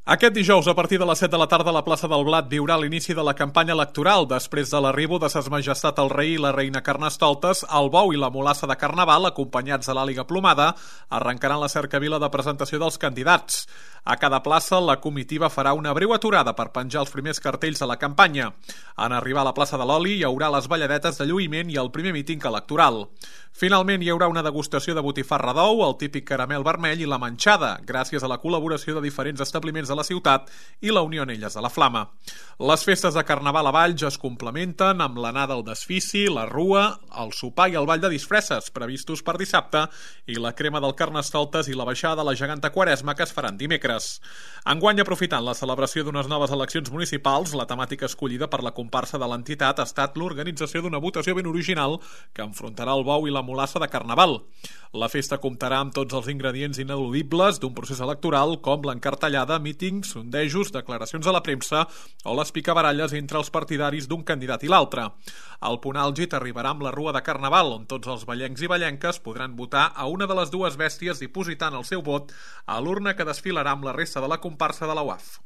Aquest dijous, a partir de les 7 de la tarda, la plaça del Blat viurà l'inici de la campanya electoral. Després de l'arribo de Ses Majestat el Rei i la Reina Carnestoltes, el bou i la mulassa de Carnaval, acompanyats de l'àliga plomada, arrencaran la cercavila de presentació dels candidats. A cada plaça, la comitiva farà una breu aturada per penjar els primers cartells de la campanya. En arribar a la plaça de l'Oli, hi haurà les balladetes de lluïment i el primer míting electoral. Finalment, hi haurà una degustació de botifarra d'ou, el típic caramel vermell i la manxada, gràcies a la col·laboració de diferents establiments de la ciutat i la Unió Anelles de la Flama. Les festes de Carnaval a Valls es complementen amb l'anada al desfici, la rua, el sopar i el ball de disfresses, previstos per dissabte, i la crema del Carnestoltes i la baixada de la geganta Quaresma, que es faran dimecres. Enguany, aprofitant la celebració d'unes noves eleccions municipals, la temàtica escollida per la comparsa de l'entitat ha estat l'organització d'una votació ben original que enfrontarà el bou i la mulassa de Carnaval. La festa comptarà amb tots els ingredients ineludibles d'un procés electoral, com l'encartellada, mítings, sondejos, declaracions a la premsa o les picabaralles entre els partidaris d'un candidat i l'altre. El punt àlgid arribarà amb la rua de Carnaval, on tots els vallencs i vallenques podran votar a una de les dues bèsties dipositant el seu vot a l'urna que desfilarà amb la resta de la comparsa de la UAF.